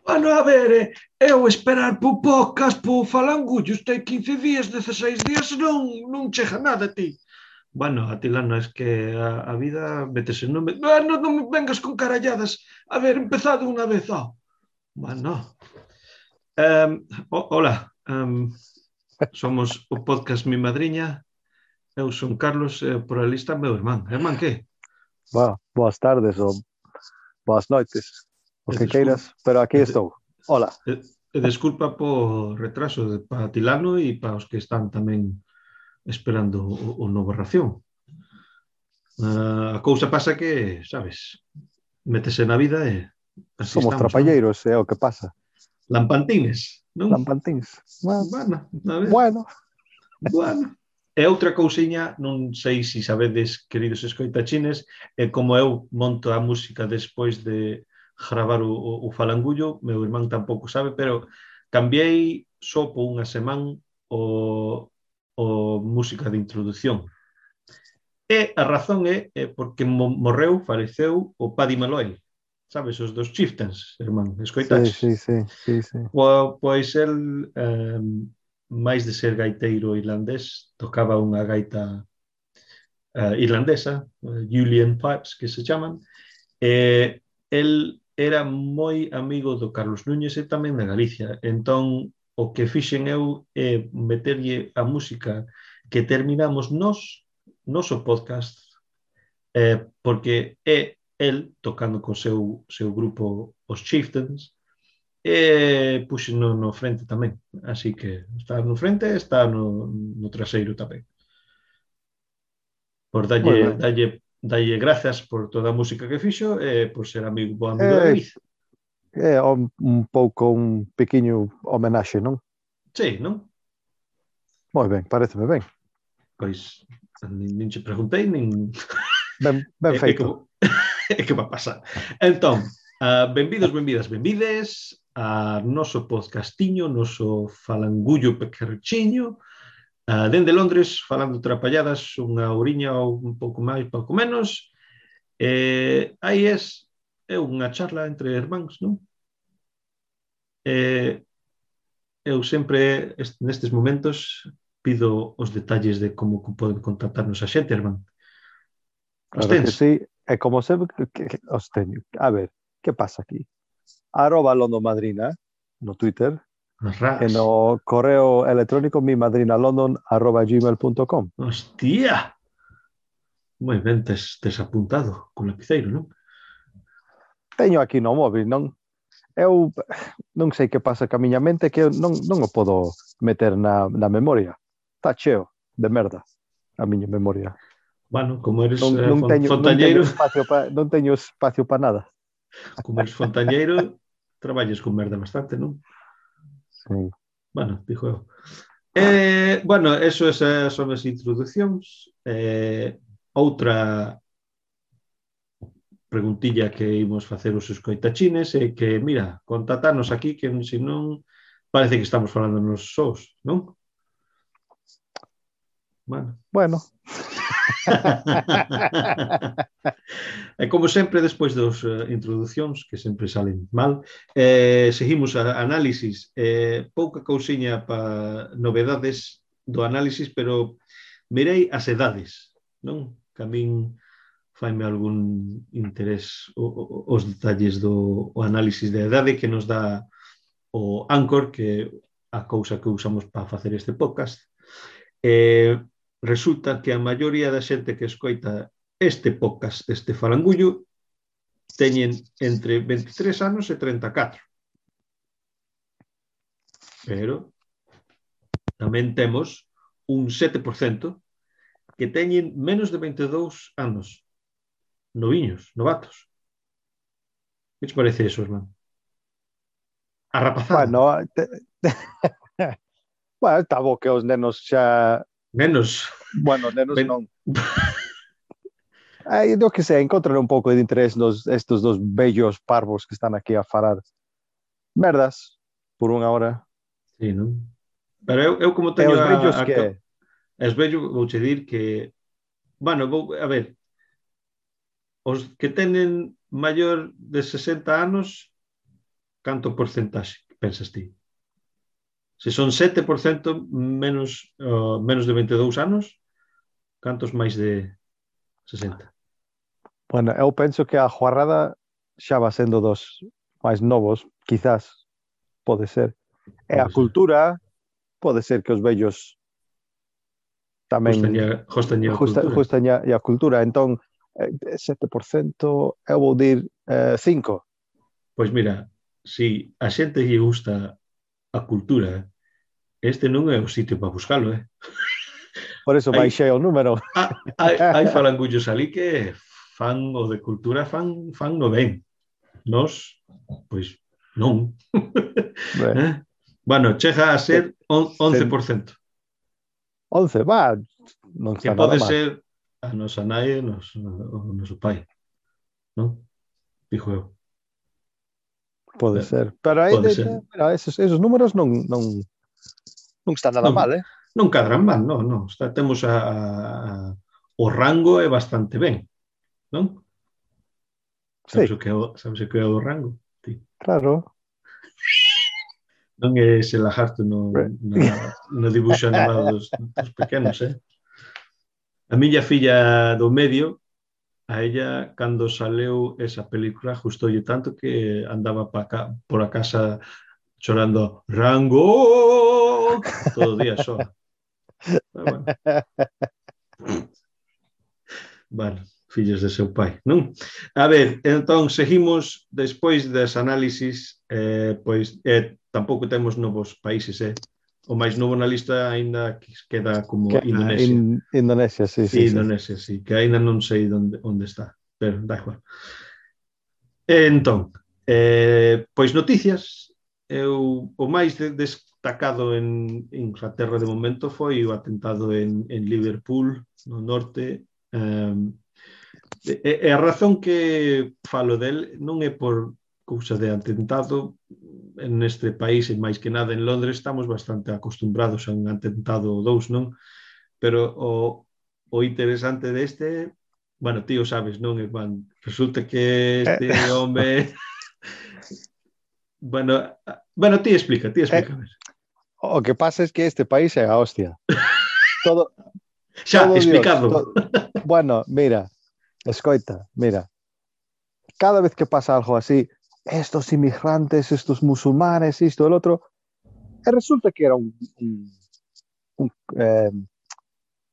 Bueno, a ver, eu esperar po podcast, po falangullo, este 15 días, 16 días, non chega nada, ti. Bueno, Atilano, es que a vida métese, non me vengas con caralladas. A ver, empezado unha vez, Bueno, hola, somos o podcast Mi Madriña, eu son Carlos, por a lista meu irmán. Irmán, que? Boas tardes ou boas noites, o que queiras, pero aquí estou. Hola. Desculpa por retraso para Atilano e para os que están tamén esperando o novo ración. A cousa pasa que, sabes, métese na vida e así somos estamos, trapalleiros, é o que pasa. Lampantines, non? Lampantins. Bueno, a ver. Bueno. E outra cousiña, non sei se sabedes, queridos escoitachines, como eu monto a música despois de gravar o falangullo, meu irmán tampouco sabe, pero cambiei só por unha semana o música de introducción. E a razón é porque morreu, faleceu o Paddy Malloy, sabes, os dos Chieftains, irmán, escoitaches? Sí. Pois el, máis de ser gaiteiro irlandés, tocaba unha gaita irlandesa, Julian Pipes, que se chaman, e el era moi amigo do Carlos Núñez e tamén da Galicia. Entón, o que fixen eu é meterlle a música que terminamos noso podcast, porque é el tocando co seu grupo os Chieftains, e puxe no frente tamén. Así que está no frente e está no traseiro tamén. Por dalle grazas por toda a música que fixo e por ser bo amigo da David. É un pouco un pequeno homenaxe, non? Sí, non? Moi ben, pareceme ben. Pois, nin che preguntei, nin... Ben feito. É que va pasar. Entón, benvidos, benvides a noso podcastiño, noso falangullo pequerchiño, dende Londres, falando trapalladas, unha horiña ou un pouco máis, pouco menos. Aí é unha charla entre irmáns, non? Eu sempre, nestes momentos, pido os detalles de como poden contactarnos a xente, irmán. Claro que sí, e como sempre que os teño. A ver, que pasa aquí? @londomadrina no Twitter e no correo electrónico mimadrinalondon@gmail.com. Hostia! Moi ben, tes apuntado con lapiceiro, non? Teño aquí no móvil, non? Eu non sei que pasa ca miña mente que eu non o podo meter na memoria. Está cheo de merda a miña memoria. Bueno, como eres fontañeiro... Non teño espacio para nada. Como eres fontañeiro, traballes con merda bastante, non? Sí. Bueno, dixo eu. Bueno, eso son as introducións. Outra preguntilla que imos facer os escoitachines é que, mira, contactarnos aquí, que senón parece que estamos falando nos sós, non? Bueno. E como sempre, despois das introducións, que sempre salen mal, seguimos a análisis. Pouca cousiña para novedades do análisis, pero mirei as edades, non? Que a min faime algún interés os detalles do análisis de edade que nos dá o Anchor, que é a cousa que usamos para facer este podcast. Resulta que a maioría da xente que escoita este podcast, este falangullo, teñen entre 23 anos e 34. Pero tamén temos un 7% que teñen menos de 22 anos. noviños, novatos. Que te parece eso, hermano? A rapazada. Bueno, bueno, está bo que os nenos xa... Menos. Bueno, nenos Ben... non. Eu que sei, encontran un pouco de interés estos dos bellos parvos que están aquí a falar merdas por unha hora. Sí, non? Pero eu como E teño os vellos a que... es vello, vouche dir que bueno, a ver, os que tenen maior de 60 anos, canto porcentaxe pensas ti? Se son 7% menos de 22 anos, cantos máis de 60? Bueno, eu penso que a juarrada xa va sendo dos máis novos, quizás, pode ser. E a Pode ser. cultura, pode ser que os vellos tamén Jostaña a cultura. justaña a cultura. Entón, 7%, eu vou dir 5. Pois mira, si a xente lle gusta a cultura, este non é o sitio para buscalo, eh? Por eso Hai, baixei o número. hai falangullos ali que fan o de cultura, fan no ben. Nos, pois, non. Eh? Bueno, chega a ser 11%. 11, va, non Que está nada pode mal. ser a nosa nai e o noso pai, non? Dixo eu. Pode ser. Pero aí, Pode ser. mira, esos números non está nada Non, mal, non cadran mal, non, non. Temos o rango é bastante ben, non? Sí, Sabes o que é o rango? Ti. claro. Non é ese lagarto no dibuixo animado dos pequenos, eh? A miña filla do medio, a ella, cando saleu esa película, gustoulle tanto que andaba por a casa chorando Rango todo o día só. Pero bueno, fillos de seu pai, non? A ver, entón, seguimos despois das análisis, pois tampouco temos novos países, o máis novo na lista aínda queda como Indonesia. Indonesia, sí, sí, sí. Indonesia, sí, que aínda non sei onde está, pero da igual. Entón, pois noticias, o máis destacado en Inglaterra de momento foi o atentado en Liverpool, no norte. E a razón que falo del non é por cousa de atentado. Neste país, e máis que nada en Londres, estamos bastante acostumbrados a un atentado ou dous, non? Pero o interesante deste, bueno, ti o sabes, non, Juan? Resulta que este home... Bueno, ti explica, a ver. O que pasa es que este país é a hostia. Todo, Xa, todo explicado. Dios, bueno, mira, escoita, mira. Cada vez que pasa algo así, estos inmigrantes, estos musulmanes, esto, el otro, resulta que era un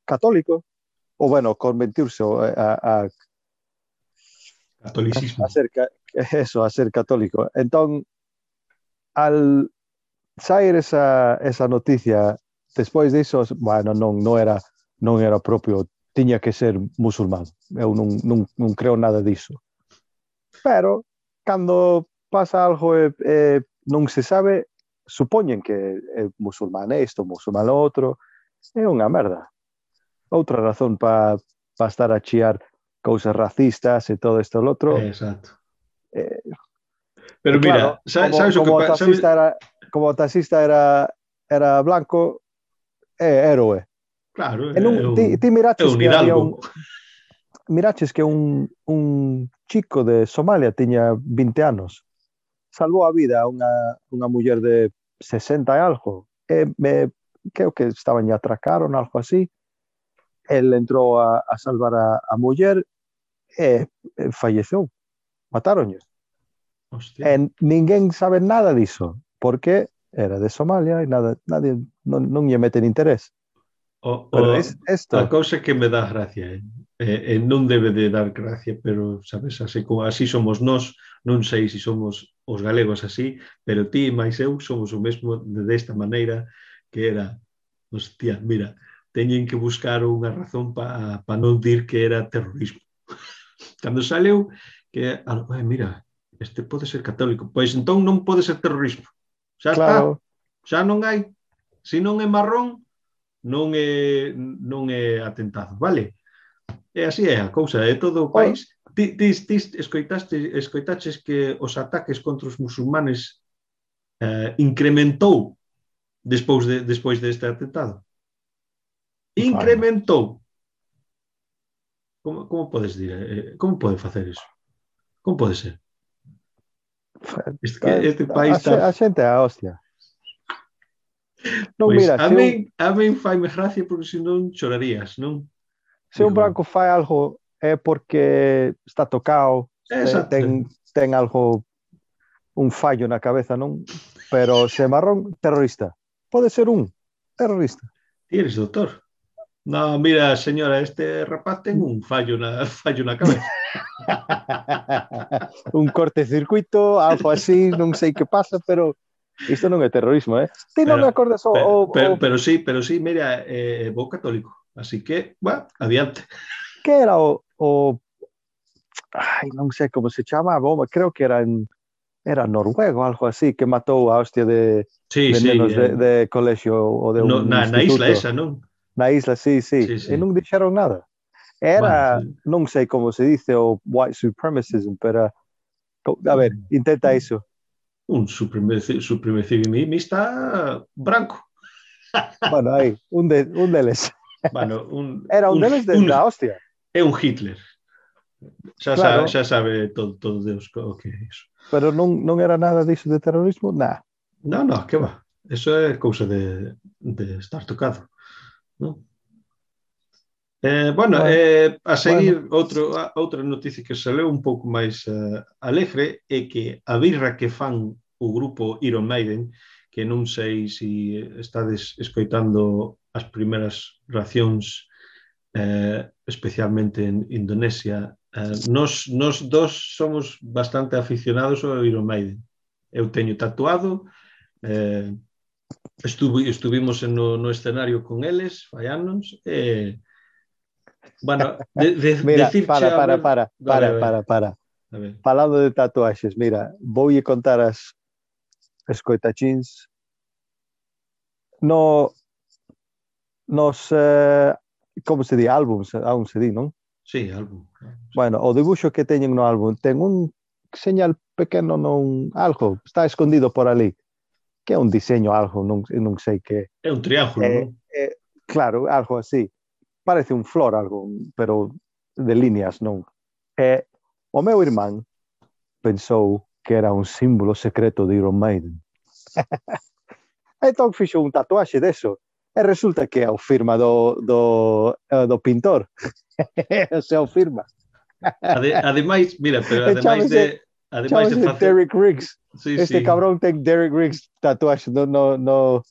católico, o bueno, convertirse a Catolicismo. a ser católico. Entón, al sair esa noticia, despois diso, bueno, non era propio, tiña que ser musulmán. Eu non creo nada diso. Pero, cando pasa algo non se sabe, supoñen que é musulmán isto, musulmán o outro, é unha merda. Outra razón para estar a chiar cousas racistas e todo isto e outro. Exacto. Pero claro, mira, sabes o que pasa? Como o taxista era blanco, é héroe. Claro, ti miraches un que había hidalgo. Miraches que un chico de Somalia tiña 20 anos. Salvou a vida a unha muller de 60 e algo. Creo que estaban a atracar ou algo así. El entrou a salvar a muller e falleceu. Mataronlle. Ninguén sabe nada diso, porque era de Somalia e nadie non lle meten interés. Pero esto... A cousa que me dá gracia, non debe de dar gracia, pero sabes, así somos nós, non sei se somos os galegos así, pero ti e máis eu somos o mesmo desta maneira, que era, hostia, mira, teñen que buscar unha razón para non dir que era terrorismo. cando saleu, que, mira, este pode ser católico, pois entón non pode ser terrorismo. Xa está, xa non hai. Se non é marrón, non é atentado, vale? E así é a cousa, é todo o país. Ti escoitaches que os ataques contra os musulmanes incrementou despois deste atentado? Incrementou. Como podes dir? Como pode facer iso? Como pode ser? Este país está... A xente é a hostia. Non, pois, mira, a min faime gracia porque senón chorarías, non? Se un branco fai algo é porque está tocado, ten algo, un fallo na cabeza, non? Pero se marrón, terrorista. Pode ser un terrorista. Ti eres doutor. No, mira, señora, este rapaz ten un fallo na cabeza. Un cortecircuito, algo así, non sei que pasa, pero isto non é terrorismo, eh? Ti non me acordas pero sí, mira, vou católico, así que, bueno, adiante. Que era ai, non sei como se chama, creo que era noruego, algo así, que matou a hostia de nenos de colexio ou de un instituto. Na isla esa, non? Na isla, sí. E non dixeron nada. Era, non sei como se dice, o white supremacism, pero a ver, intenta iso. Un supremacista branco. Bueno, aí, un deles. Bueno, era un deles da hostia. É un Hitler. Xa sabe todo Deus o que é iso. Pero non era nada diso de terrorismo? Nah. No, que va. Eso é cousa de estar tocado, non? A seguir, outra noticia que se leu un pouco máis alegre é que a birra que fan o grupo Iron Maiden, que non sei se estades escoitando as primeiras reaccións, especialmente en Indonesia, nos dos somos bastante aficionados ao Iron Maiden. Eu teño tatuado, estuvimos no escenario con eles, fai anos, e bueno, mira, para. Falando de tatuaxes, mira, voulle contar as escoitachins nos como se di, álbums, aún se di, non? Sí, álbum. Bueno, o dibuixo que teñen no álbum ten un señal pequeno, algo, está escondido por ali, que é un diseño, algo, non sei que. É un triángulo, non? Claro, algo así. Parece un flor, algo, pero de líneas, non? O meu irmán pensou que era un símbolo secreto de Iron Maiden. Entón fixo un tatuaxe deso. E resulta que é o firma do pintor. Se o firma. Ademais, mira, pero ademais de facer... Derek Riggs. Este cabrón ten Derek Riggs tatuaxe no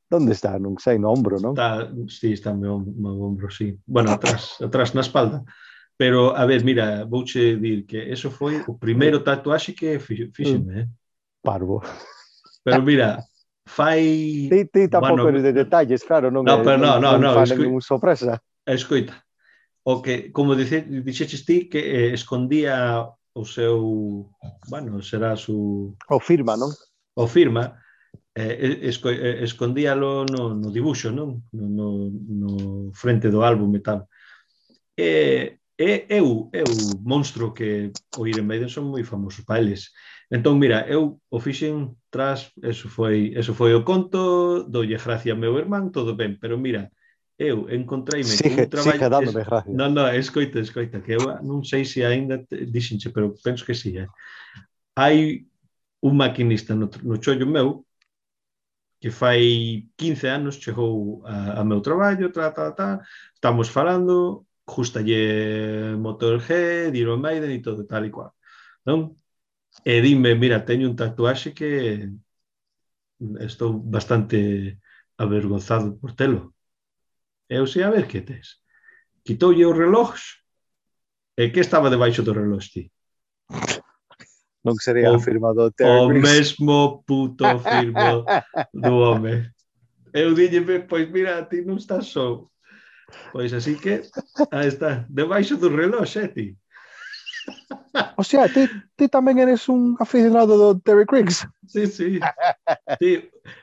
¿Dónde está? Non sei, no ombro, non? Está no ombro, sí. Bueno, atrás na espalda. Pero, a ver, mira, vouche dir que eso foi o primeiro tatuaxe que fixeme, Parvo. Pero mira, fai... Ti tampouco de detalles, claro, non fan sorpresa. Escoita, o que, como dixeches ti, que escondía o seu... Bueno, será o firma, non? O firma, escondíalo no dibuixo, non? No frente do álbum e tal. É o monstro que o Iron Maiden son moi famosos para eles. Entón, mira, eu o fixen tras, eso foi o conto, doulle gracia ao meu irmán, todo ben, pero mira, eu encontreime con un traballo... Sigue dándome gracia. Non, escoita, que eu non sei se ainda dixenche, pero penso que sí, Hai un maquinista no chollo meu que fai 15 anos chegou a meu traballo, estamos falando, justalle Motorhead, Iron Maiden e todo tal e cual, non? E dime, mira, teño un tatuaxe que estou bastante avergonzado por telo. Eu sei a ver que tes. Quitoulle o reloj e que estaba debaixo do reloj, ti? Non sería a firma do Terry Riggs. O mesmo puto firma do home. Eu dille, pois mira, ti non estás só. Pois así que, aí está, debaixo do reloj, ti. O sea, ti tamén eres un aficionado do Terry Creeks. Sí, sí.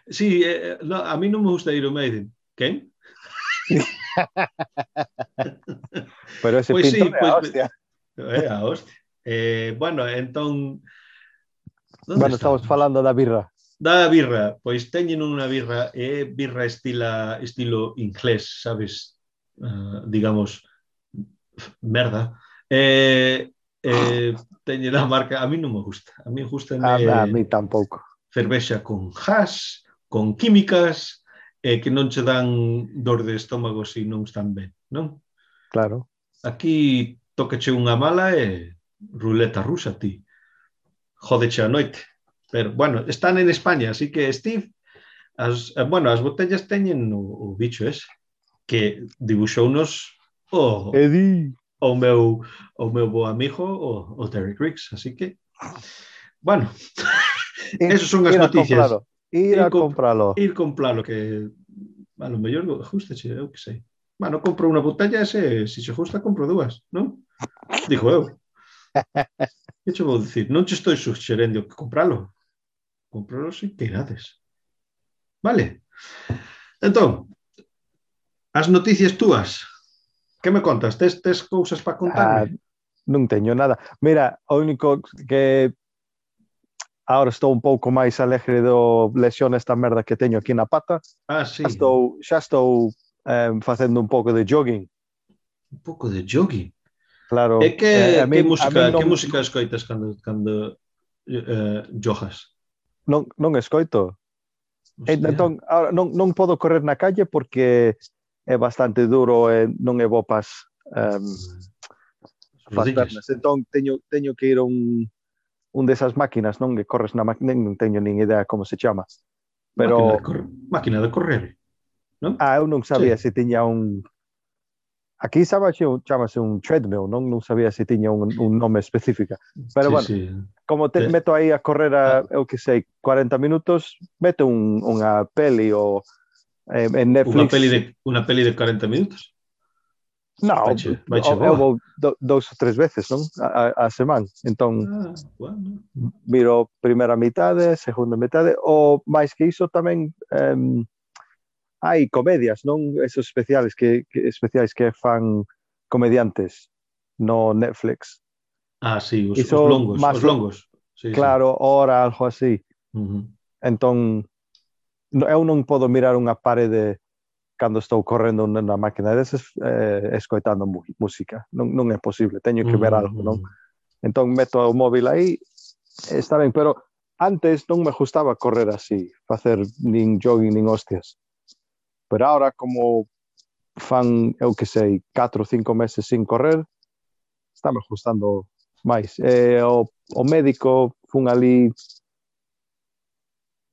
Sí, no, a mí non me gusta Iron Maiden. Quen? Pero ese Pois sí, pintor é a hostia. A hostia. Bueno, entón, onde Bueno, estamos estábamos? falando da birra. Da birra, pois teñen unha birra, birra estilo inglés, sabes? Digamos, merda. Teñen a marca, a mí non me gusta. A mí A gustame mí tampouco. cervexa con hash, con químicas, que non che dan dor de estómago se non están ben, non? Claro. Aquí tócache unha mala e ruleta rusa, ti. Jódeche a noite. Pero, bueno, están en España, así que Steve, as botellas teñen o bicho ese, que dibuxounos Eddie. o meu bo amigo, o Terry Creeks, así que, bueno, esas son as noticias. Ir a compralo. Ir compralo, que a lo mellor gustache, eu que sei. Bueno, compro unha botella e se gusta, compro dúas, non? Digo eu. Que che vou dicir? Non che estou suxerendo que compralo. Compralo se queirades. Vale? Entón, as noticias túas, que me contas? Tes cousas para contarme? Non teño nada. Mira, o único que agora estou un pouco máis alegre do lesión esta merda que teño aquí na pata. Sí. Xa estou facendo un pouco de jogging. Un pouco de jogging? Claro. E que música escoitas cando jogas? Non escoito. Entón, ahora non podo correr na calle porque é bastante duro e non é bo pas pernas. Entón, teño que ir a un desas máquinas, non? Que corres na máquina, non teño nin idea como se chama. Pero máquina de correr, non? Eu non sabía se tiña un... Aquí chamase un treadmill, non sabía se tiña un nome específico. Pero bueno, como meto aí a correr eu que sei, 40 minutos, meto unha peli ou en Netflix. Unha peli de 40 minutos? Non, eu vou 2 ou 3 veces, non? A semana. Entón, miro primeira mitade, segunda mitade, ou máis que iso tamén hai comedias, non? Esos especiais que fan comediantes no Netflix. Sí, os longos. Claro, hora, algo así. Entón, eu non podo mirar unha parede cando estou correndo na máquina desas escoitando música. Non é posible, teño que ver algo, non? Entón, meto o móvil aí, está ben, pero antes non me gustaba correr así, facer nin jogging, nin hostias. Pero ahora, como fan, eu que sei, 4 ou 5 meses sin correr, está me gustando máis. O médico fun ali,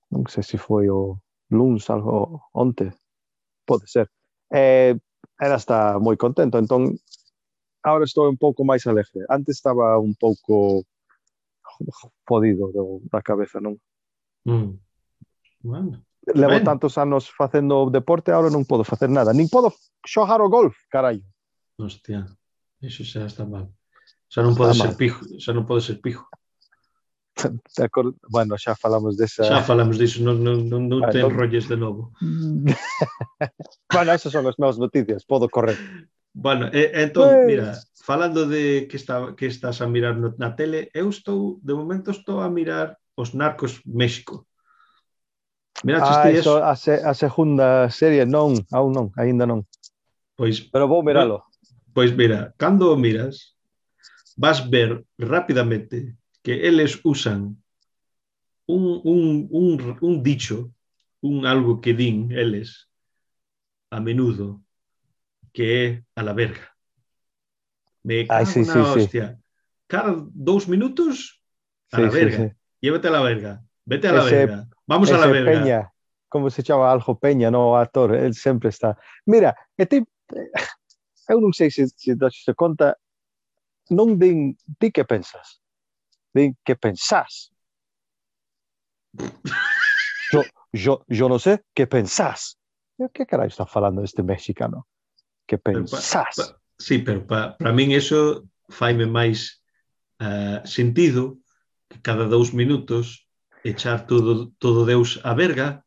non sei se foi o luns, algo onte, pode ser. Era está moi contento, entón agora estou un pouco máis alegre. Antes estaba un pouco fodido da cabeza, non? Bueno. Levo tantos anos facendo deporte, agora non podo facer nada. Nin podo xogar o golf, carallo. Hostia, iso xa está mal. Xa non pode ser pijo. Bueno, xa falamos desa... Xa falamos diso, non te enrolles de novo. Bueno, esas son as meus noticias, podo correr. Bueno, entón, mira, falando de que estás a mirar na tele, eu de momento estou a mirar Os Narcos México. Iso, a segunda serie, non, aún non, aínda non. Pero vou miralo. Pois mira, cando o miras, vas ver rapidamente que eles usan un dicho, algo que din eles a menudo, que é a la verga. Me cago na hostia. Cada 2 minutos, a la verga. Llévate a la verga. Vete a la verga. Vamos a la verga. Peña, como se chama Aljo Peña, no, o actor, él sempre está. Mira, eu non sei se se conta, non din ti que pensas, din que pensás. Yo non sei que pensás. Que carai está falando este mexicano? Que pensás. Sí, pero para min eso faime máis sentido que cada 2 minutos echar todo Deus a verga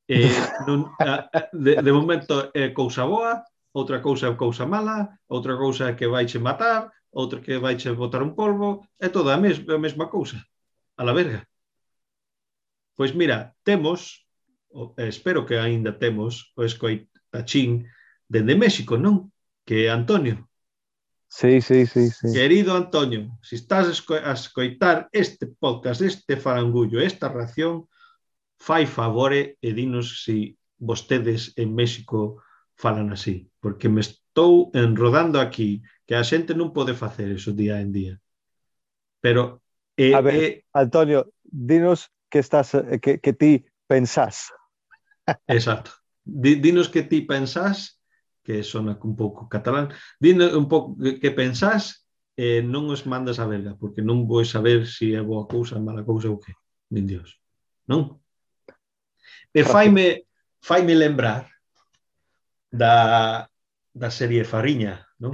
de momento é cousa boa, outra cousa é cousa mala, outra cousa é que vaiche matar, outra que vaiche botar un polvo, é toda a mesma cousa, a la verga. Pois mira, espero que aínda temos o escoitachín dende México, non? Que é Antonio. Sí. Querido Antonio, se estás a escoitar este podcast, este farangullo, esta ración, fai favore e dinos se vostedes en México falan así, porque me estou enrodando aquí, que a xente non pode facer eso día en día. Pero a ver, Antonio, dinos que ti pensás. Exacto. Dinos que ti pensás, que sona un pouco catalán, dinos un pouco que pensás e non os mandas a verga, porque non vou saber se é boa cousa, mala cousa ou que. Nin Dios. Non? E faime lembrar da serie Fariña, non?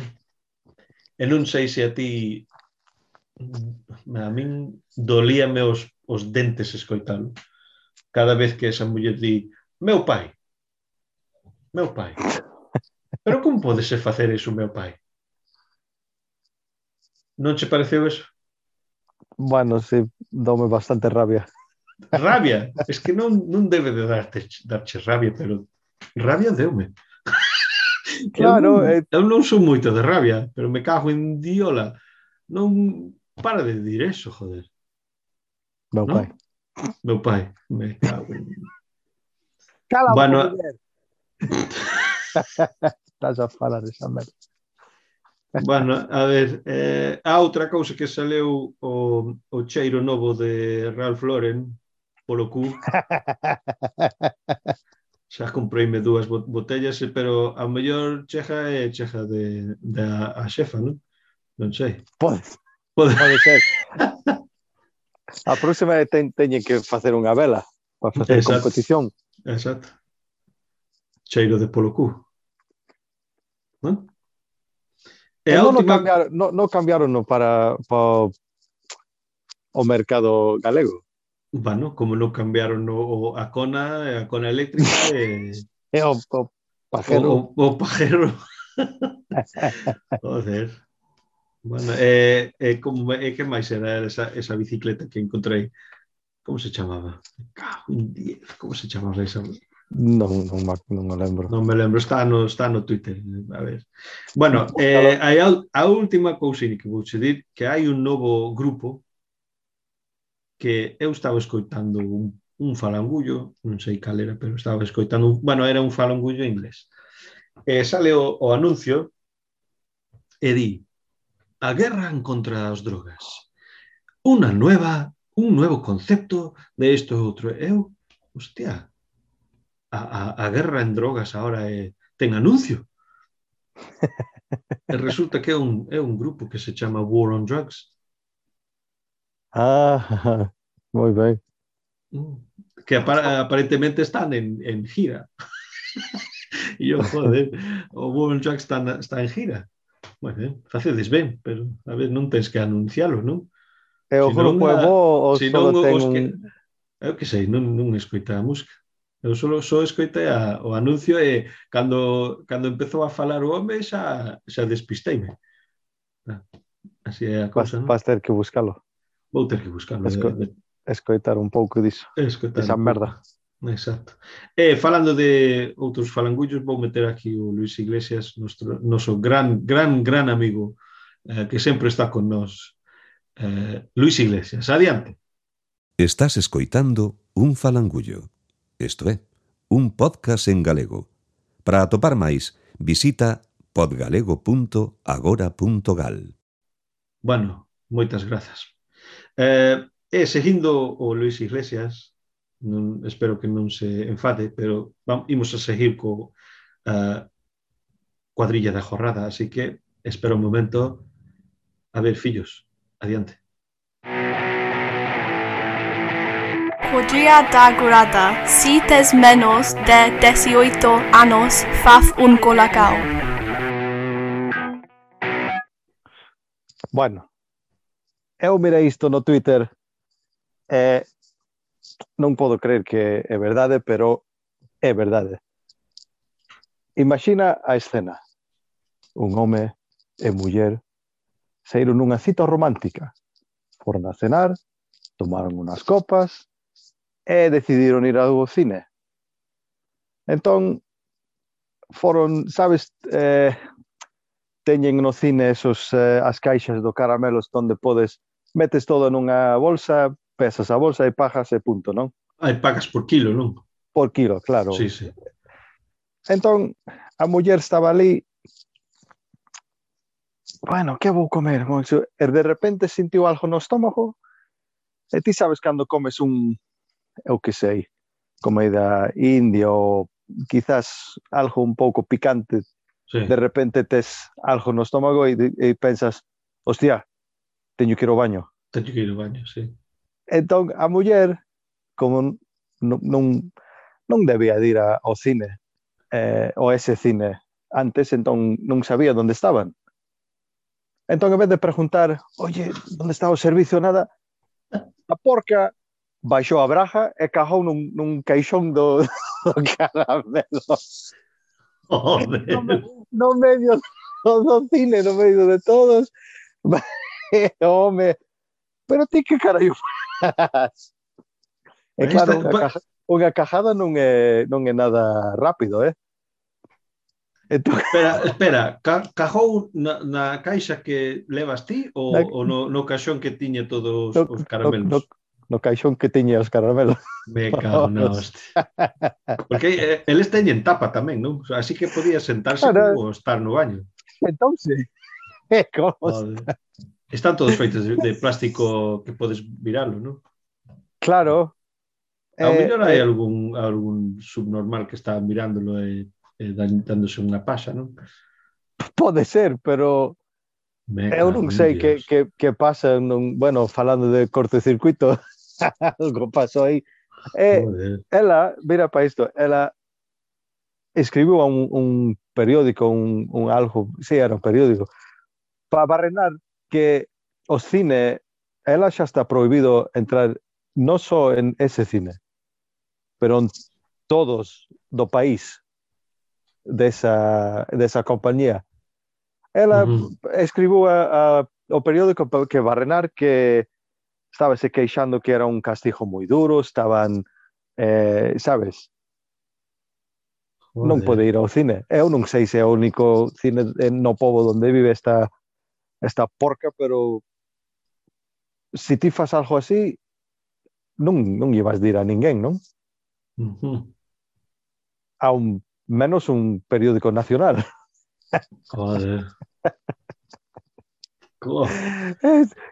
E non sei se a ti a min dolíame os dentes escoitalo. Cada vez que esa muller di meu pai. Pero como podese facer iso meu pai? Non che pareceu eso? Bueno, sí, dome bastante rabia. Rabia? Es que non debe de darche rabia, pero rabia deume. Claro. Eu non sou moito de rabia, pero me cago en diola. Non para de dir eso, joder. Meu pai. Meu pai, me cago en... Cala bueno, muller. Estás a falar esa merda. Bueno, a ver, a outra cousa que saleu o cheiro novo de Ralph Lauren polo cu. Xa compreime 2 botellas, pero a mellor cheja a xefa, non? Non sei. Pode ser. A próxima teñen que facer unha vela para facer competición. Exacto. Cheiro de polo cu. Non? E non cambiaron para o mercado galego. Bueno, como non cambiaron a cona eléctrica e o pajero. O pajero. Joder. Bueno, que máis era esa bicicleta que encontrei? Como se chamaba? Como se chamaba esa? Non me lembro. Non me lembro, está no Twitter. A ver. Bueno, hai a última cousinha que vou che dir, que hai un novo grupo que eu estaba escoitando un falangullo, non sei cal era, pero estaba escoitando, era un falangullo inglés. Sale o anuncio e di: a guerra en contra das drogas. Un novo concepto de isto e outro. Hostia, a guerra en drogas ahora ten anuncio. E resulta que é un grupo que se chama War on Drugs. Moi ben. Que aparentemente están en gira. E eu, joder, o War on Drugs está en gira. Bueno, facedes ben, pero a ver, non tens que anuncialo, non? E o grupo é bo ou só ten un... Eu que sei, non escoita a música. Eu só escoitei o anuncio e cando empezou a falar o home xa despisteime. Así é a cousa, non? Vas ter que buscalo. Vou ter que buscalo. Escoitar un pouco diso. Esa merda. Exacto. E falando de outros falangullos, vou meter aquí o Luis Iglesias, noso gran amigo, que sempre está con nós. Luis Iglesias, adiante. Estás escoitando un falangullo. Isto é, un podcast en galego. Para atopar máis, visita podgalego.agora.gal. Bueno, moitas grazas. Seguindo o Luis Iglesias, espero que non se enfade, pero imos a seguir co cuadrilla da jornada, así que espera un momento. A ver, fillos, adiante. Cuadrilla da Grada. Si tes menos de 18 anos, faz un colacao. Bueno, eu mirei isto no Twitter e non podo creer que é verdade, pero é verdade. Imagina a escena. Un home e muller saíron nunha cita romántica. Foron a cenar, tomaron unas copas e decidiron ir ao cine. Entón, foron, sabes, teñen no cine as caixas do caramelos onde metes todo nunha bolsa, pesas a bolsa e pagas e punto, non? Aí pagas por kilo, non? Por kilo, claro. Sí, sí. Entón, a muller estaba ali, bueno, que vou comer? E de repente sentiu algo no estómago e ti sabes cando comes eu que sei, comida india ou quizás algo un pouco picante, Sí. de repente tes algo no estómago e pensas, hostia, teño que ir ao baño. Teño que ir ao baño, sí. Entón, a muller, como non debía de ir ao cine, ou ese cine antes, entón non sabía onde estaban. Entón, en vez de preguntar, oye, onde está o servicio, nada, a porca baixou a braja e cajou nun caixón do caramelos. No medio do cine, no medio de todos. Home, pero ti que carallo faz? E claro, unha cajada non é nada rápido, Entón... Espera, cajou na caixa que levas ti ou no caixón que tiña todos os caramelos? No caixón que tiña os caramelos. Me cago na hostia. Porque eles teñen tapa tamén, non? Así que podía sentarse como estar no baño. Entón, sí. Como están todos feitos de plástico que podes viralo, non? Claro. Ao mellor hai algún subnormal que está mirándolo e dándose unha paxa, non? Pode ser, pero eu non sei que pasa. Bueno, falando de cortocircuito, algo pasou aí. Ela, mira para isto, ela escribiu a un periódico, algo, sí, era un periódico, para barrenar que o cine, ela xa está prohibido entrar non só en ese cine, pero en todos do país desa compañía. Ela escribiu ao periódico que barrenar que estaba se queixando que era un castigo moi duro, estaban, sabes, non pode ir ao cine. Eu non sei se é o único cine no pobo onde vive esta porca, pero se ti faz algo así, non llevas de ir a ninguén, non? A menos un periódico nacional. Joder.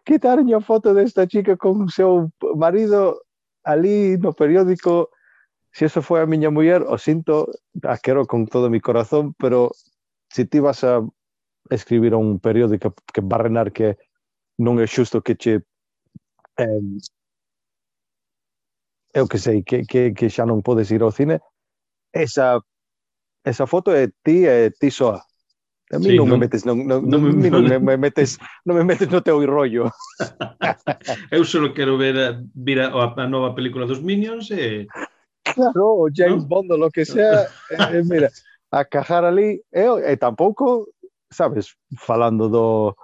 Quitaron a foto desta chica con o seu marido ali no periódico. Se eso foi a miña muller, o sinto, a quero con todo o mi corazón, pero se ti vas a escribir a un periódico que barrenar que non é xusto que che eu que sei, que xa non podes ir ao cine, esa foto é ti soa. A mí non me metes non me metes no teu rollo. Eu só quero vir a nova película dos Minions e... Claro, o James Bond, lo que sea. Mira, a cajar ali, e tampouco, sabes, falando do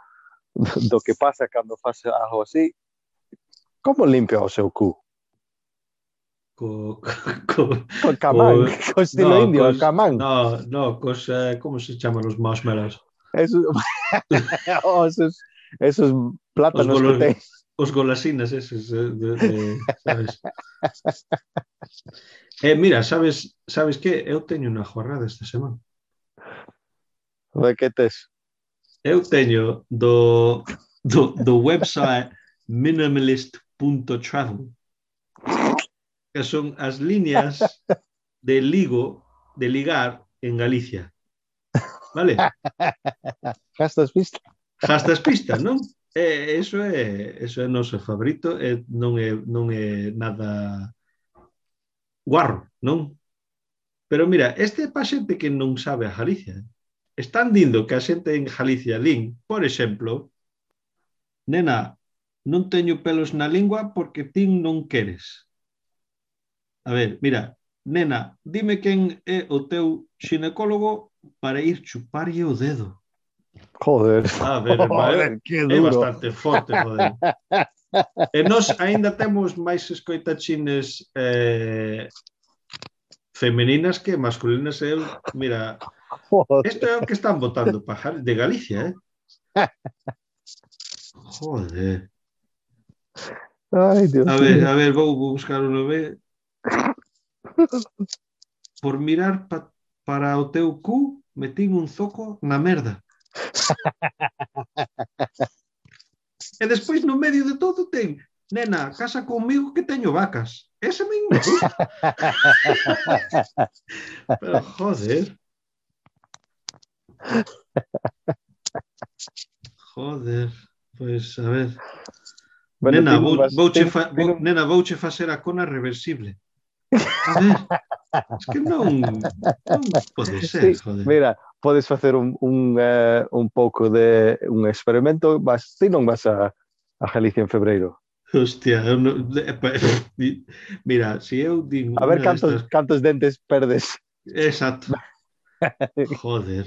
que pasa cando faz algo así, como limpia o seu cu? Con camán, con estilo indio, camán. No, como se chaman os marshmallows? Esos plátanos que ten. Os golasinas esos, sabes? Mira, sabes que? Eu teño unha jornada esta semana. De que tes? Eu teño do website minimalist.travel, que son as líneas de ligar en Galicia. Vale? Gastas pista, non? Eso é noso favorito, non é nada guarro, non? Pero mira, este é para xente que non sabe a Galicia. Están dindo que a xente en Galicia lín, por exemplo, nena, non teño pelos na lingua porque ti non queres. A ver, mira, nena, dime quen é o teu xinecólogo para ir chuparlle o dedo. Joder, A ver, joder, que é duro. bastante forte, joder. E nós aínda temos máis escoitachines femeninas que masculinas. Eu, mira, isto é o que están votando pajar de Galicia, Joder. Ai, Dios mío. A ver, vou buscar o nome. Por mirar para o teu cu, metín un zoco na merda. E despois no medio de todo ten, nena, casa comigo que teño vacas. Ese me gusta. Pero joder. Joder. Pois, a ver. Bueno, Nena, nena, vouche facer a cona reversible. A ver. Es que non pode ser, sí, joder. mira, podes facer un pouco de un experimento, ti non vas a Galicia en febreiro. Hostia, mira, si eu digo a ver cantos dentes perdes. Exacto. Joder.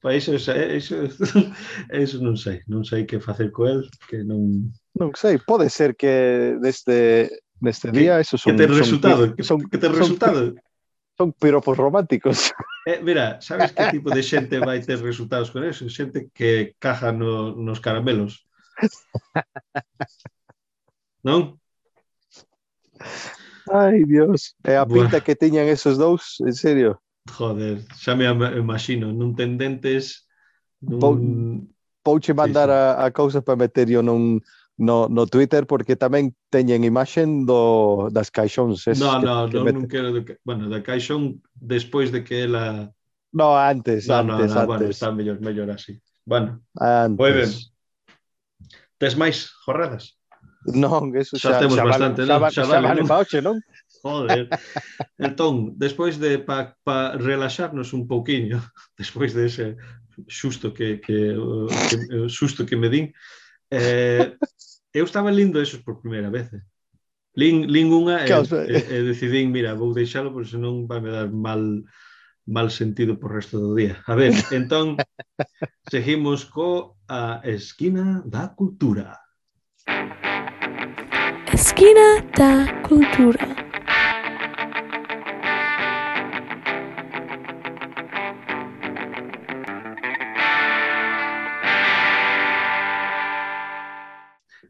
Pois eso non sei que facer co el, que non sei, pode ser que neste día eso son que ten resultado, que ten resultado. Son piropos románticos. Mira, sabes que tipo de xente vai ter resultados con eso? Xente que caja nos caramelos. Non? Ai, Dios. E a pinta que tiñan esos dous, en serio. Joder, xa me imagino, non ten dentes. Pouche mandar a cousa para meter yo no Twitter, porque tamén teñen imaxen das caixóns. Non quero. Bueno, da caixón despois de que ela... No, antes. Bueno, está mellor así. Bueno, moi ben. Tes máis jorradas? Non, eso xa temos bastante, non? Xa vale pa oche, non? Joder. Entón, despois de pa relaxarnos un pouquiño, despois de ese susto que me din, eu estaba lindo esos por primeira vez. Lin unha e decidín, mira, vou deixalo porque senón vai me dar mal sentido por resto do día. A ver, entón, seguimos a Esquina da Cultura. Esquina da Cultura.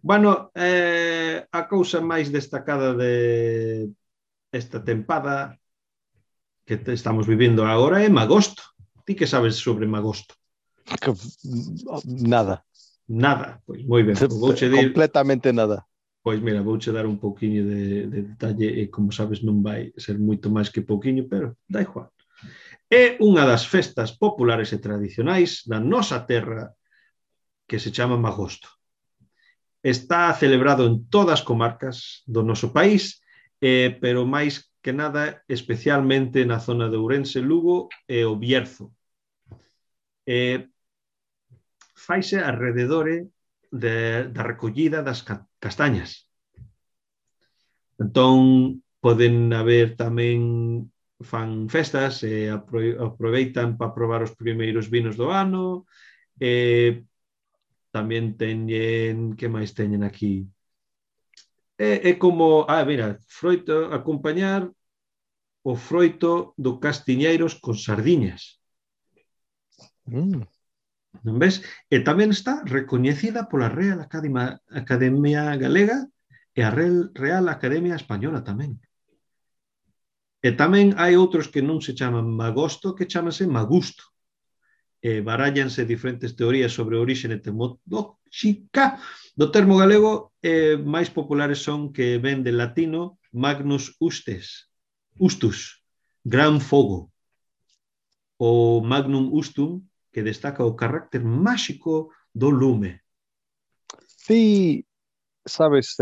Bueno, a cousa máis destacada de esta tempada que estamos vivindo agora é Magosto. Ti que sabes sobre Magosto? Nada. Nada, pois moi ben. Completamente nada. Pois mira, vouche dar un pouquiño de detalle e como sabes non vai ser moito máis que pouquiño, pero dá igual. É unha das festas populares e tradicionais da nosa terra que se chama Magosto. Está celebrado en todas as comarcas do noso país, pero máis que nada especialmente na zona de Ourense, Lugo e o Bierzo. Faise alrededor da recollida das castañas. Entón, poden haber tamén fan festas e aproveitan para probar os primeiros vinos do ano. Tamén teñen, que máis teñen aquí? É como, mira, froito, acompañar o froito do castiñeiros con sardiñas. Non ves? E tamén está recoñecida pola Real Academia Galega e a Real Academia Española tamén. E tamén hai outros que non se chaman Magosto, que chamanse Magusto. Barállanse diferentes teorías sobre a orixe etimolóxica do termo galego, máis populares son que ven del latino Magnus Ustus, gran fogo, o Magnum Ustum, que destaca o carácter máxico do lume. Ti sabes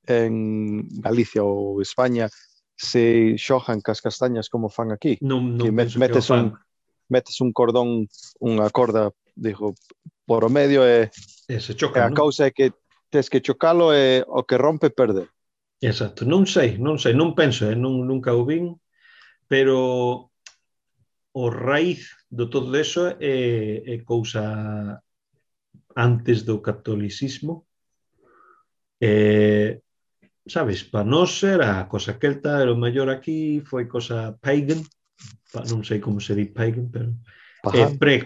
en Galicia ou España se xojan cas castañas como fan aquí? Non penso que o fan. Metes un cordón, unha corda, digo, por o medio e se chocan, a causa é que tes que chocalo e o que rompe perde. Exacto, non sei, non penso, nunca o vin, pero o raíz do todo eso é cousa antes do catolicismo. Sabes, para nós era cosa celta, era o mellor aquí, foi cosa pagan, non sei como se di pagan, pero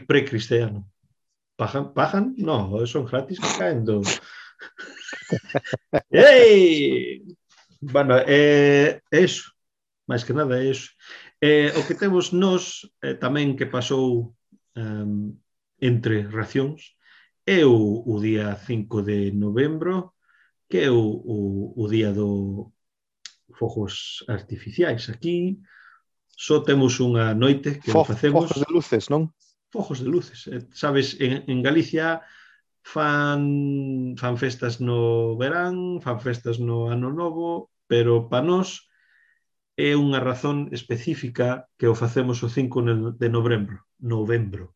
pre-cristiano. Pagan? No, son gratis que caen do... Ei! Bueno, eso, máis que nada é eso. O que temos nós tamén que pasou entre racións é o día 5 de novembro, que é o día do fogos artificiais. Aquí só temos unha noite que facemos... Fogos de luces, non? Fogos de luces. Sabes, en Galicia fan festas no verán, fan festas no ano novo, pero para nós é unha razón específica que o facemos o 5 de novembro.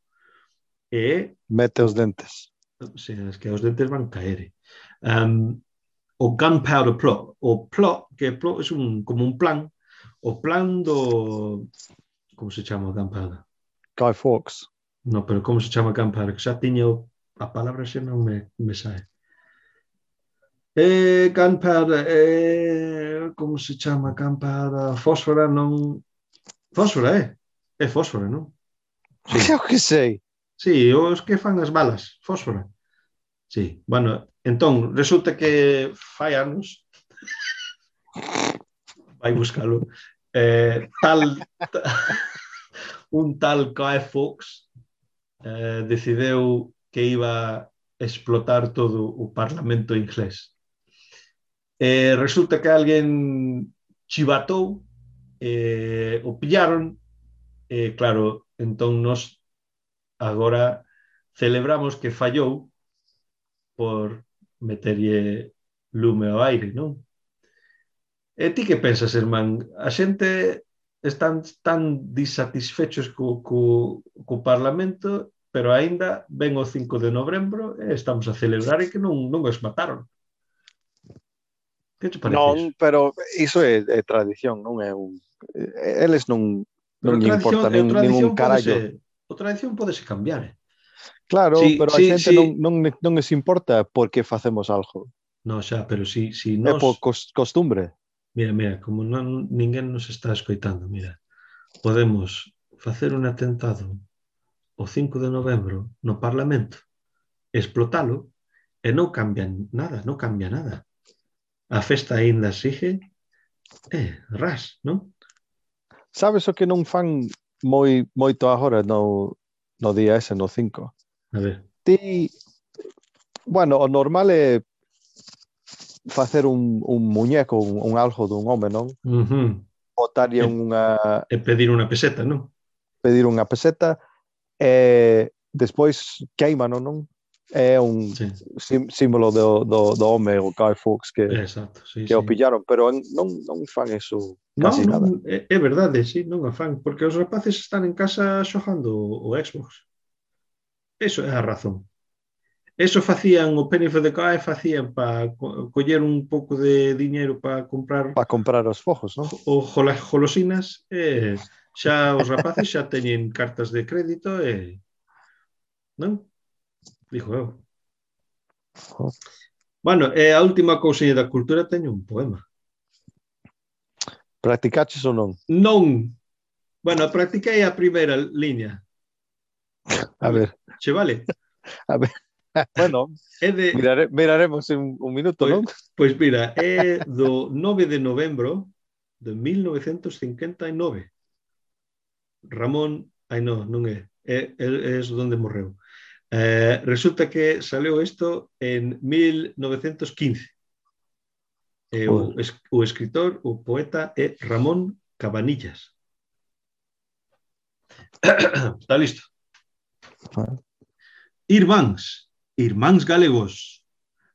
Mete os dentes. O sea, es que os dentes van caer. O Gunpowder Plot. O plot, que plot é como un plan. O plan do... Como se chama o Gunpowder? Guy Fawkes. No, pero como se chama Gunpowder? Que xa tiño a palabra xa non me sae. Gunpowder, como se chama Gunpowder? Fósfora non... Fósfora, é fósfora, non? Sí. Eu que sei. Sí, os que fan as balas, fósfora. Sí, bueno, entón, resulta que fai anos vai buscalo un tal Guy Fawkes decideu que iba a explotar todo o Parlamento inglés. Resulta que alguén chivatou, o pillaron, claro, entón nos agora celebramos que fallou por meterlle lume ao aire, non? E ti que pensas, irmán? A xente están tan disatisfechos co Parlamento, pero aínda ven o 5 de novembro e estamos a celebrar e que non os mataron. Que te parece Non, iso? pero iso é tradición, non é un... Eles non importa ningún carallo. A tradición podese cambiar, Claro, sí, pero a xente non les importa por que facemos algo. No, xa, pero si nos... É por costumbre. Mira, como ninguén nos está escoitando, mira, podemos facer un atentado o 5 de novembro no Parlamento, explotalo, e non cambia nada. A festa aínda sigue, ras, non? Sabes o que non fan moito agora no día ese, no 5? A ver. Bueno, o normal é facer un muñeco, un algo dun home, non? Botarlle unha... E pedir unha peseta, non? Pedir unha peseta e despois queimano, non? É un símbolo do home, o Guy Fawkes, que o pillaron, pero non fan eso casi nada. É verdade, sí, non o fan, porque os rapaces están en casa xogando o Xbox. Eso é a razón. Eso facían, o Penny for the Guy facían para coller un pouco de diñeiro para comprar... Para comprar os fogos, non? O golosinas, xa os rapaces xa teñen cartas de crédito e... Non? Dixo eu. Bueno, a última cousiña da cultura teño un poema. Practicaches ou non? Non. Bueno, practiquei a primeira liña. A ver. Che vale? A ver. Bueno, miraremos en un minuto, non? Pois mira, é do 9 de novembro de 1959. Ramón, non é onde morreu. Resulta que saleu isto en 1915. O escritor, o poeta é Ramón Cabanillas. Está listo? Irmáns galegos,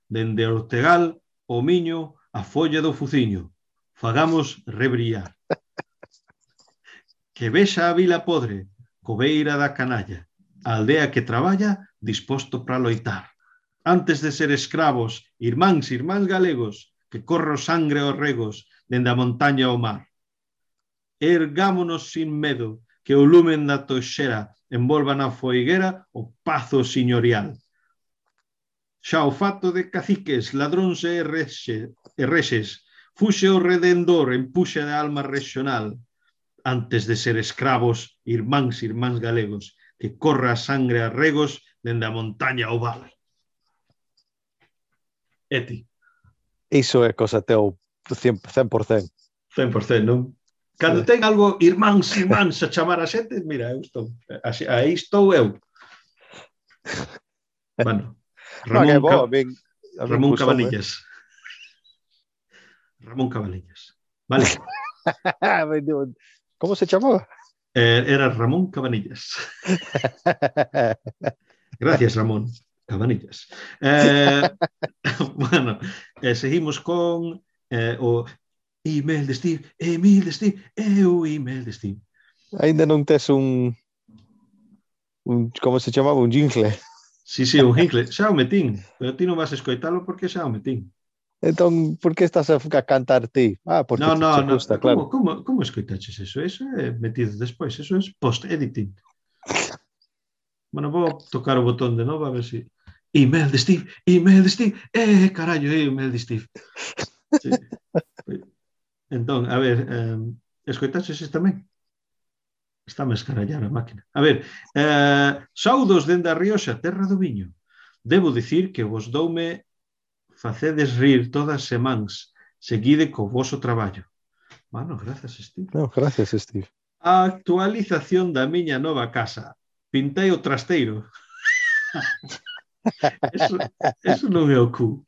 dende Ortegal o miño a folla do fuciño, fagamos rebrillar. Que vexa a vila podre, cobeira da canalla, a aldea que traballa disposto para loitar. antes de ser escravos, irmáns galegos, que corro sangre aos regos, dende a montaña ao mar. Ergámonos sin medo, que o lumen da toxera envolva na foiguera o pazo señorial. Xa o fato de caciques, ladróns e rexes, fuxe o redendor en puxa de alma regional, antes de ser escravos, irmáns galegos, que corra a sangre a regos dende a montaña ao val. E ti? Iso é cosa teu 100%. 100%, non? Cando ten algo irmáns a chamar a xente, mira, eu estou. Aí estou eu. Bueno, Ramón Cabanillas. Ramón Cabanillas. Vale. Como se chamaba? Era Ramón Cabanillas. Gracias, Ramón Cabanillas. Bueno, seguimos con o email de Steve, o email de Steve. Ainda non tes un como se chamaba? Un jingle. Sí, un jingle. Xa o metín, pero ti non vas a escoitalo porque xa o metín. Entón, por que estás a cantar ti? Porque no, te gusta, claro. Como escoitaches eso? Eso é metido despois, eso é post-editing. Bueno, vou tocar o botón de novo a ver si... Email de Steve, carallo, email de Steve. Sí. Entón, a ver, escoitaches tamén? Está a escarallar a máquina. A ver, saudos dende a Rioxa, terra do viño. Debo dicir que vos doume facedes rir todas semáns, seguide co voso traballo. Bueno, gracias, Steve. No, gracias, Steve. A actualización da miña nova casa. Pintei o trasteiro. Eso non é o cu.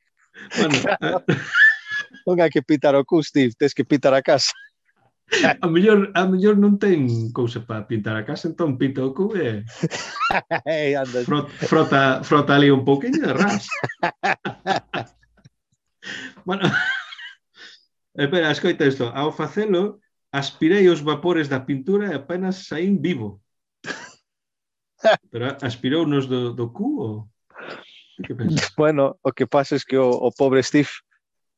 Bueno, non hai que pitar o cu, Steve, tens que pitar a casa. A mellor non ten cousa para pintar a casa, entón pinta o cu e frota ali un pouquinho de ras. Bueno, espera, escoita isto. Ao facelo, aspirei os vapores da pintura e apenas saín vivo. Pero aspirou nos do cu ou... Que pensas? Bueno, o que pasa é que o pobre Steve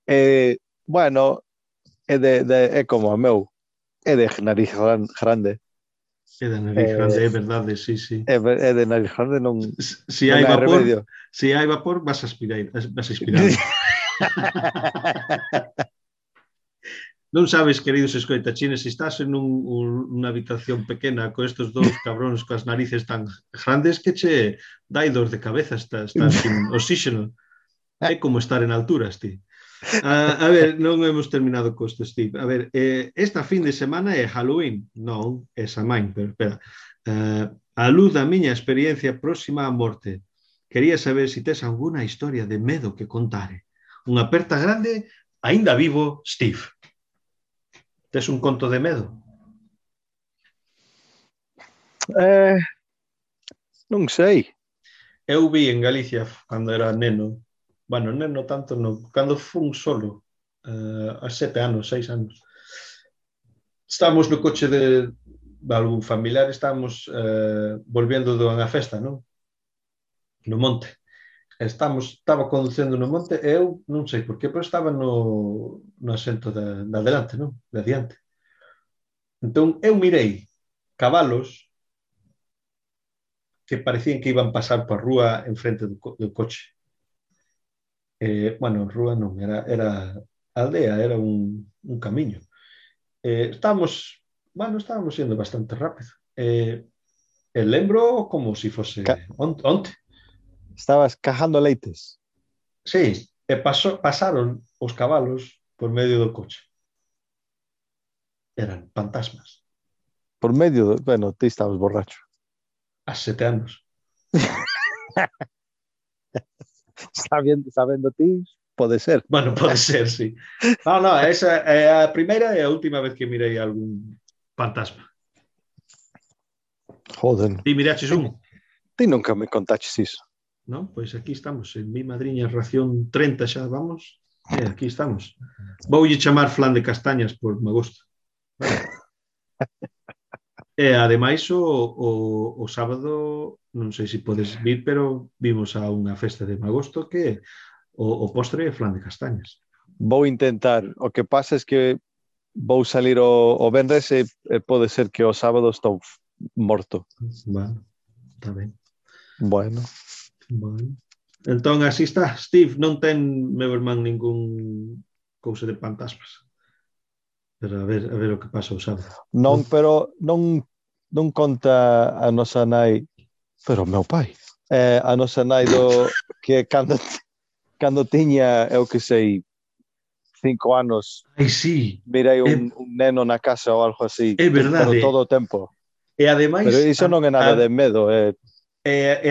é como o meu, é de nariz grande. É de nariz grande, é verdade, sí. É de nariz grande, non se hai vapor, vas a aspirar. Non sabes, queridos escoitachines, se estás en unha habitación pequena con estes dous cabróns coas narices tan grandes que che dai dor de cabeza, estás sin oxígeno. É como estar en alturas, ti. A ver, non hemos terminado co isto, Steve. A ver, esta fin de semana é Halloween. Non, é Samhain, pero espera. A luz da miña experiencia próxima á morte. Quería saber se tes alguna historia de medo que contare. Unha aperta grande, aínda vivo, Steve. Tes un conto de medo? Non sei. Eu vi en Galicia cando era neno. Bueno, neno tanto non. Cando fun solo, a 7 anos, 6 anos. Estábamos no coche de algún familiar, estábamos volvendo dunha festa, non? No monte. Estaba conducendo no monte e eu non sei por qué, pero estaba no asento de adelante, non? De adiante. Entón, eu mirei cabalos que parecían que iban pasar por rúa en frente do coche. Bueno, rúa non, era aldea, era un camiño. Estábamos indo bastante rápido. Lembro como se fose onte. Estabas cajando leites. Sí, e pasaron os cabalos por medio do coche. Eran fantasmas. Por medio, bueno, ti estabas borracho. A 7 anos. Sabendo ti, pode ser. Bueno, pode ser, sí. No, esa é a primeira e a última vez que mirei algún fantasma. Joder. Ti miraches un? Ti nunca me contaches iso. Non? Pois aquí estamos, en mi madriña ración 30 xa vamos, e aquí estamos. Voulle chamar flan de castañas por me gusta. Vale. E ademais o sábado non sei se podes vir, pero vimos a unha festa de magosto que o postre é flan de castañas. Vou intentar. O que pasa é que vou salir o venres e pode ser que o sábado estou morto. Bueno, está ben. Bueno. Entón, así está. Steve, non ten, meu irmán, ningún cousa de fantasmas. Pero a ver o que pasa o sábado. Non, pero non conta a nosa nai, pero meu pai, a nosa nai que cando tiña, eu que sei, 5 anos, Ai, sí. mirei un neno na casa ou algo así. É verdade. Pero todo o tempo. E ademais... Pero iso non é nada de medo. E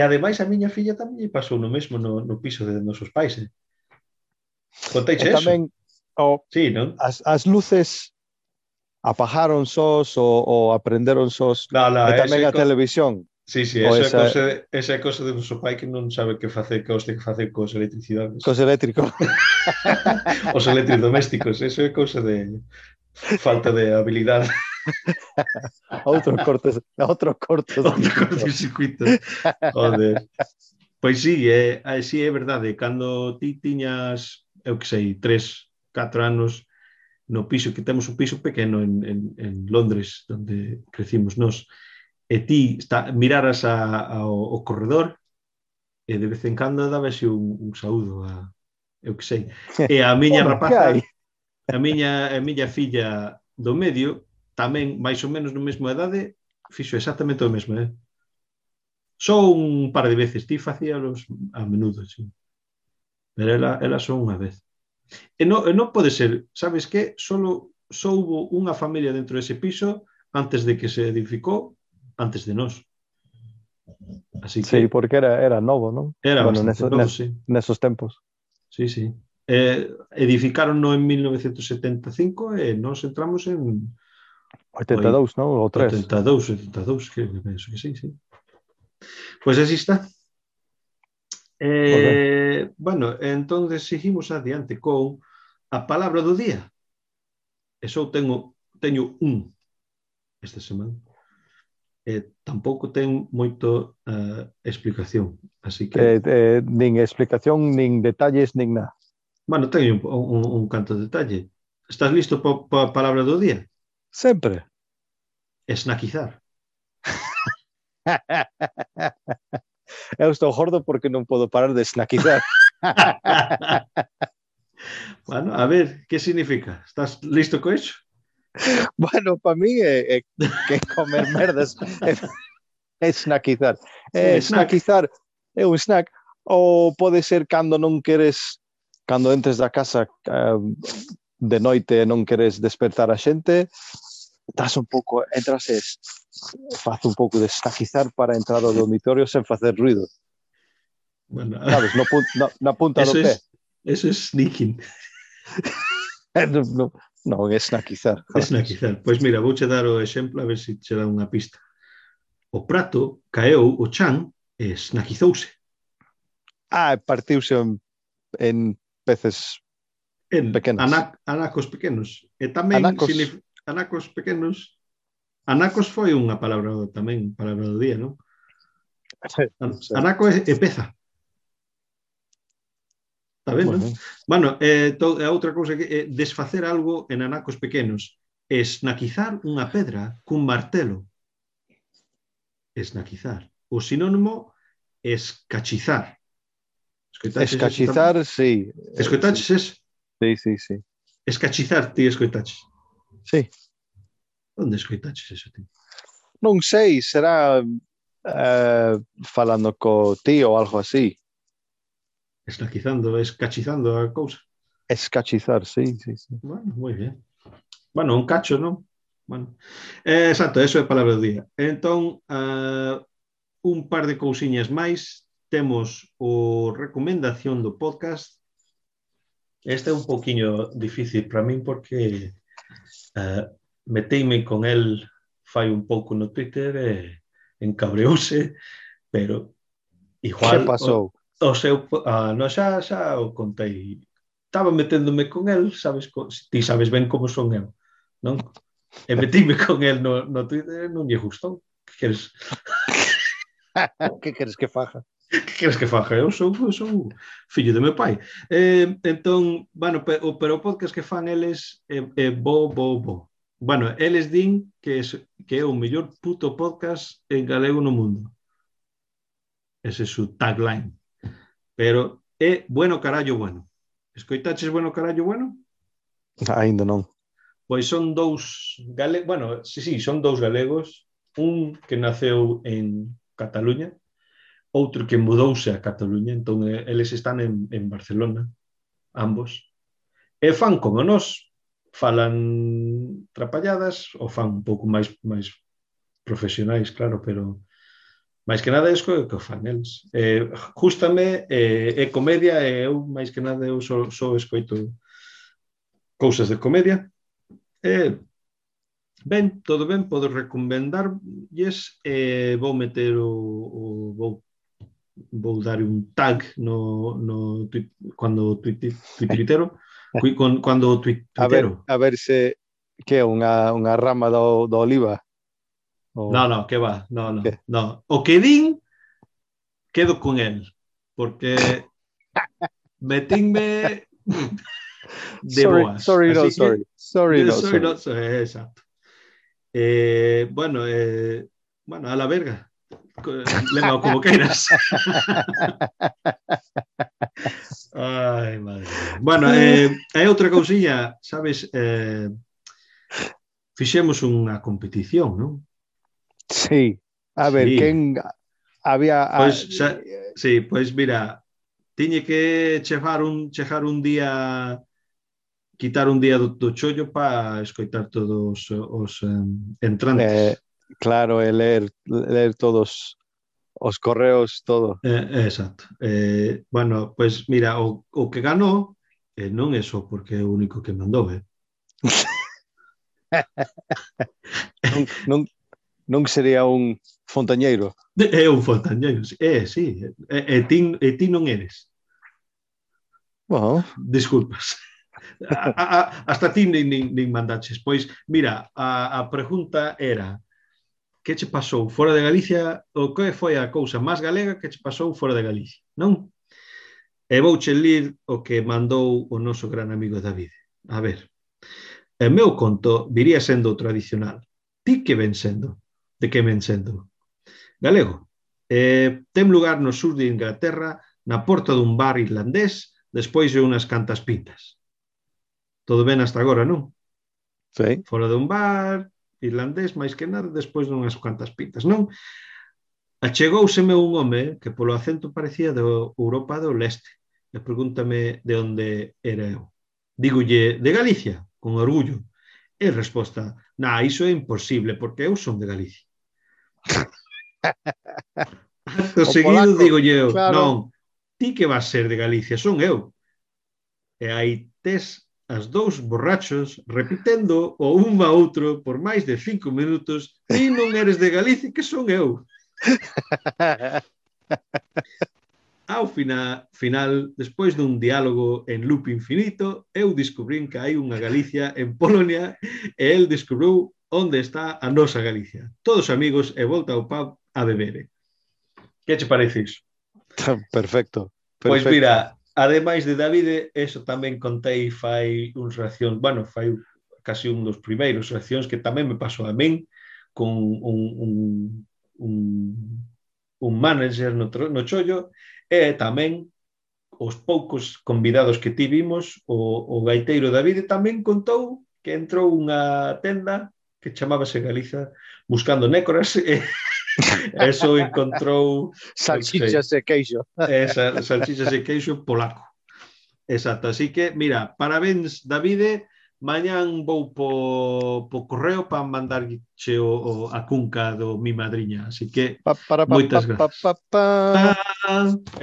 ademais a miña filla tamén pasou no mesmo no piso de nosos pais. Conteiche eso? Tamén, sí, non? As luces apagaron sós ou aprenderon sós. E tamén a televisión. Sí, esa é cosa de noso pai que non sabe que facer, que os ten que facer cos electricidades. Cos eléctricos. Os electrodomésticos, eso é cousa de falta de habilidade. Outro cortocircuito. Joder. Pois sí, é verdade. Cando ti tiñas, eu que sei, 3, 4 anos no piso, que temos un piso pequeno en Londres, onde crecimos nós, e ti miraras ao corredor e de vez en cando dabase un saúdo a, eu que sei. E a miña rapaza, a miña filla do medio, tamén máis ou menos no mesmo edade, fixo exactamente o mesmo, Só un par de veces, ti facíalos a menudo, sí. Pero ela só unha vez. E non pode ser, sabes que? Só houbo unha familia dentro dese piso antes de que se edificou, antes de nós. Así que... Sí, porque era novo, non? Era bastante novo, sí. Nesos tempos. Sí. Edificaron-no en 1975 e nós entramos en... 82, non? Ou 3. 82, que penso que sí. Pois así está. Bueno, entón seguimos adiante con a palabra do día. E só teño un esta semana. Tampouco ten moito explicación, así que... nin explicación, nin detalles, nin nada. Bueno, teño un canto de detalle. Estás listo para a palabra do día? Sempre. Snackizar. Eu estou gordo porque non podo parar de snackizar. Bueno, a ver, que significa? Estás listo co eso? Bueno, para mí é que comer merdas é snackizar. Snackizar é un snack, ou pode ser cando non queres, cando entres da casa de noite e non queres despertar a xente, estás un pouco, entras e faz un pouco de snackizar para entrar ao dormitorio sen facer ruido. Bueno, sabes, na punta do pé. Eso é sneaking. Non, é snackizar. Snackizar. Pois mira, vouche dar o exemplo a ver se che dá unha pista. O prato caeu o chan e snackizouse. Partiuse en peces pequenos. Anacos pequenos. E tamén anacos pequenos. Anacos foi unha palabra tamén, palabra do día, non? Anaco é peza. Está ben, non? Bueno, a outra cousa que é desfacer algo en anacos pequenos. Esnaquizar unha pedra cun martelo. Esnaquizar. O sinónimo escachizar. Escachizar, sí. Escoitaches eso? Sí. Escachizar, ti escoitaches? Sí. Onde escoitaches eso, ti? Non sei, será falando co tío ou algo así. Escachizando a cousa. Escachizar, sí. Bueno, moi ben. Bueno, un cacho, non? Bueno. Exacto, eso é a palabra do día. Entón, un par de cousiñas máis. Temos o recomendación do podcast. Este é un poquinho difícil para min porque meteime con el fai un pouco no Twitter e encabreouse, pero igual... Que pasou? O seu, xa o contei. Estaba meténdome con el, sabes, ti sabes ben como son eu, non? E metíme con el no Twitter e non lle gustou. Que queres? Que queres que faja? Que queres que faja? Eu sou fillo de meu pai. Entón, bueno, pero o podcast que fan eles é bo. Bueno, eles din que é o mellor puto podcast en galego no mundo. Ese é su tagline. Pero é bueno carallo bueno. Escoitaches bueno carallo bueno? Ainda non. Pois son dous galegos, bueno, sí, son dous galegos, un que naceu en Cataluña, outro que mudouse a Cataluña, entón eles están en Barcelona, ambos, e fan como nós, falan trapalladas, ou fan un pouco máis profesionais, claro, pero máis que nada é que o fan eles. Jústame, é comedia, e eu, máis que nada, eu só escoito cousas de comedia. Ben, todo ben, podo recomendarlles. Vou meter vou dar un tag no cando tuitero, cando tuitero. A ver se que é unha rama do oliva. No, que va, no. O que din, quedo con el, porque metinme de boas. Sorry, Exacto. Bueno, a la verga. Lema como queiras. Ai, madre. Bueno, hai outra cousiña, sabes, fixemos unha competición, non? Sí. A ver, quen había... Pois mira, tiñe que chegar un día, quitar un día do chollo para escoitar todos os entrantes. Claro, ler todos os correos, todo. Exacto. Bueno, pois mira, o que ganou non é só porque é o único que mandou, Non sería un fontañeiro. É un fontañeiro, sí. E ti non eres. Bueno. Disculpas. Hasta ti nin mandaches. Pois, mira, a pregunta era: que che pasou fora de Galicia, ou que foi a cousa máis galega que che pasou fora de Galicia, non? E vouche lir o que mandou o noso gran amigo David. A ver, o meu conto viría sendo tradicional. Ti que ven sendo? De que ven sendo? Galego. Ten lugar no sur de Inglaterra, na porta dun bar irlandés, despois de unhas cantas pintas. Todo ben hasta agora, non? Sí. Fora dun bar irlandés, máis que nada, despois dunhas cuantas pintas, non? Achegouseme un home que polo acento parecía de Europa do Leste e pregúntame de onde era eu. Dígolle, de Galicia, con orgullo. E resposta, iso é imposible, porque eu son de Galicia. Acto seguido digolle eu, claro. Non, ti que vas ser de Galicia, son eu. E aí tes as dous borrachos repitendo o un a outro por máis de 5 minutos: ti non eres de Galicia, que son eu. Ao final, despois dun diálogo en loop infinito, eu descubrín que hai unha Galicia en Polonia e el descubriu onde está a nosa Galicia. Todos amigos e volta ao pub a beber. Que che parece iso? Perfecto. Pois mira, ademais de David, eso tamén contei fai uns reaccións, bueno, fai casi un dos primeiros reaccións que tamén me pasou a min con un manager no chollo, e tamén os poucos convidados que tivimos, o gaiteiro David tamén contou que entrou unha tenda que chamábase Galiza buscando nécoras e eso encontrou salchichas e queixo. Salchichas e queixo polaco. Exacto, así que, mira, parabéns, Davide. Mañán vou po correo para mandarche a cunca do mi madriña. Así que, moitas gracias.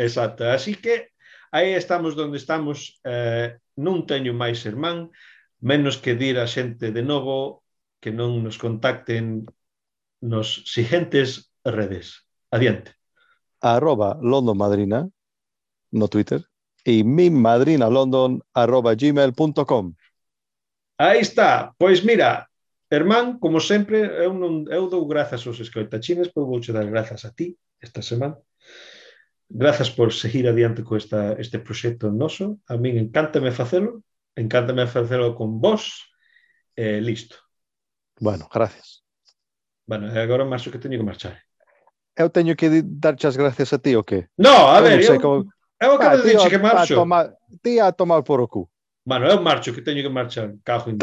Exacto, así que aí estamos donde estamos. Non teño máis sermán, menos que dir a xente de novo que non nos contacten nos siguientes redes. Adiante. @LondonMadrina no Twitter e mimadrinalondon@gmail.com. Aí está. Pois mira, Hermán, como sempre, eu dou grazas aos escoitachines, pois vouche dar grazas a ti, esta semana. Grazas por seguir adiante con este proxecto noso. A min encántame facelo con vos, listo. Bueno, gracias. Bueno, agora marcho que teño que marchar. Eu teño que darche as gracias a ti ou que? No, a ver, eu acabo de dicir que marcho. Ti a tomar por o cu. Bueno, eu marcho que teño que marchar. Cajo en